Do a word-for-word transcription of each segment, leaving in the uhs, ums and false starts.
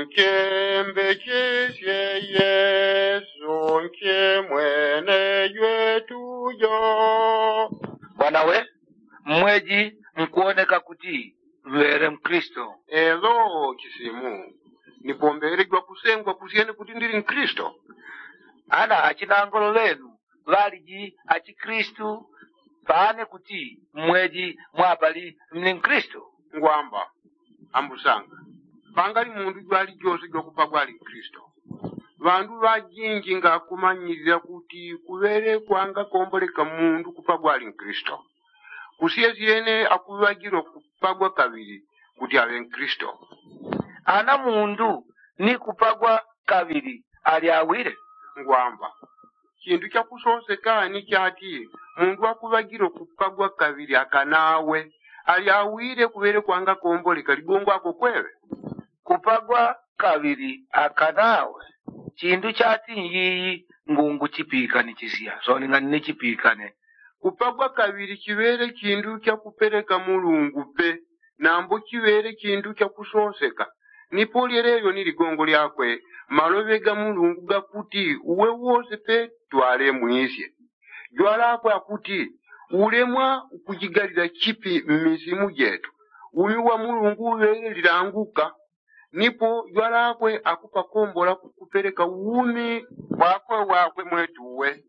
Nkembechesye yesu nchemwene jwetu jo. Bwana we, mmweji nkuoneka kuti mŵele mkristo? Elo chisimu, nipombele jwakusengwa kusyene kuti ndili mkristo. Ana achinangolo ŵenu ŵaliji achikristu? Pane kuti mmweji mwapali mli mkristo? Ngwamba ambusanga, pangali mundu jwalijose jwakupagwa ali mkristo. Ŵandu ŵajinji ngakumanyilila kuti kuŵele kwangakomboleka mundu kupagwa ali mkristo. Kusyesyene akuŵagilwa kupagwa kaŵili kuti aŵe mkristo. Ana mundu ni kupagwa kaŵili ali awile? Ngwamba, chindu chakusoseka ni chati mundu akuŵagilwa kupagwa kaŵili akanawe ali awile kuŵele kwangakomboleka ligongo ako kweŵe? Kupagwa kaŵili akanawe chindu chati nyiyi? Ngungu chipikanichisya soni ngani ni chipikane. Kupagwa kaŵili chiŵele chindu chakupeleka mulungu pe, nambo chiŵele chindu chakusoseka. Nipo lyeleyo ni ligongo lyakwe, maloŵe ga mulungu gakuti uwe wose pe twalemwisye. Jwalakwe akuti ulemwa ukujigalila chipi mmisimu jetu? Umi wa mulungu uŵele lilanguka. Nipo jwalakwe akupakombola kukupeleka umi wakwe wakwe mwetuwe,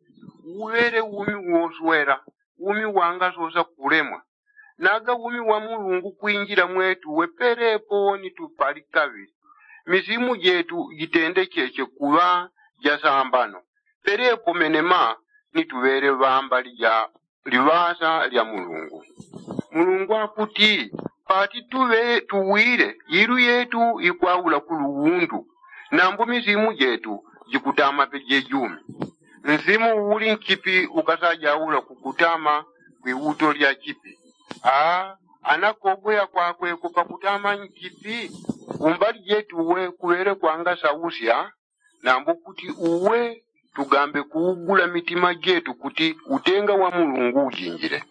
uŵele umi woswela, umi wangasosa kulemwa. Naga umi wa mulungu kwinjila mwetuwe pelepo ni tupali kaŵili. Misimu jetu jitendecheche kuŵa jasambano pelepo menema ni tuŵele ŵambali ja liŵasa lya mulungu. Mulungu akuti pati tuŵe tuwile ilu yetu ikwaula kuluwundu, nambo misimu jetu jikutama pe jejumi. Nsimu uuli nchipi ukasajaula kukutama kwiwuto lya chipi? Aa, anakogoya kwakwe kupakutama nchipi. Kumbali jetuwe kuŵele kwangasausya nambo kuti uwe tugambe kuugula mitima jetu kuti utenga wa mulungu ujinjile.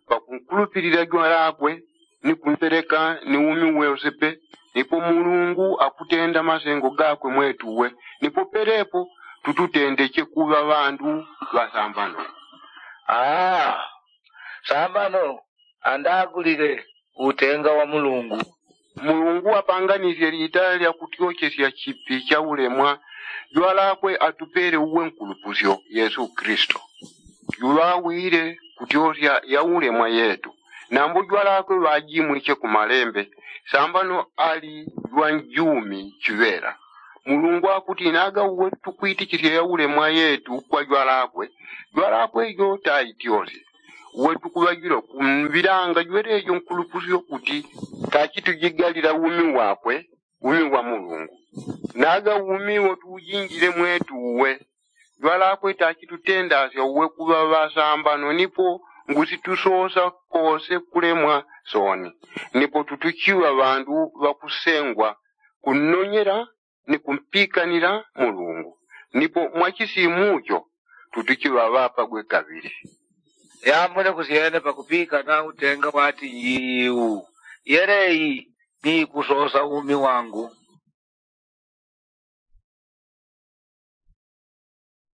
Pakunkulupilila jwalakwe ni kumpeleka ni umi wose pe, nipo mulungu akutenda masengo gakwe mwetuwe. Nipo pelepo tututendeche kuŵa ŵandu ŵasambano. Aa, sambano andagulile utenga wa mulungu. Mulungu apanganisye lita lya kutyochesya chipi cha ulemwa. Jwalakwe atupele uwe nkulupusyo yesu kristu, juŵawile kutyosya ya ulemwa yetu. Nambo jwalakwe ŵajimwiche ku malembe, sambano ali jwanjumi chiŵela. Mulungu akuti naga uwe tukwitichisya ya ulemwa yetu kwa jwalakwe, jwalakwe jo taityosye. Uwe tukuŵagilwa kumbilanga jwelejo nkulupusyo kuti tachi tujigalila umi wakwe, umi wa mulungu. Naga umi wo tuujinjile mwetuwe, jwalakwe tachi tutendasya uwe kuŵa ŵasambano nipo ngusi tusosa kose kulemwa soni. Nipo tutuchiŵa ŵandu ŵakusengwa kunnonyela ni kumpikanila mulungu. Nipo mwachisimu cho tutuchiŵa ŵapagwe kaŵili. Yambone kusyene pakupikana utenga wati njiiu. Yeleyi ni ikusosa umi wangu.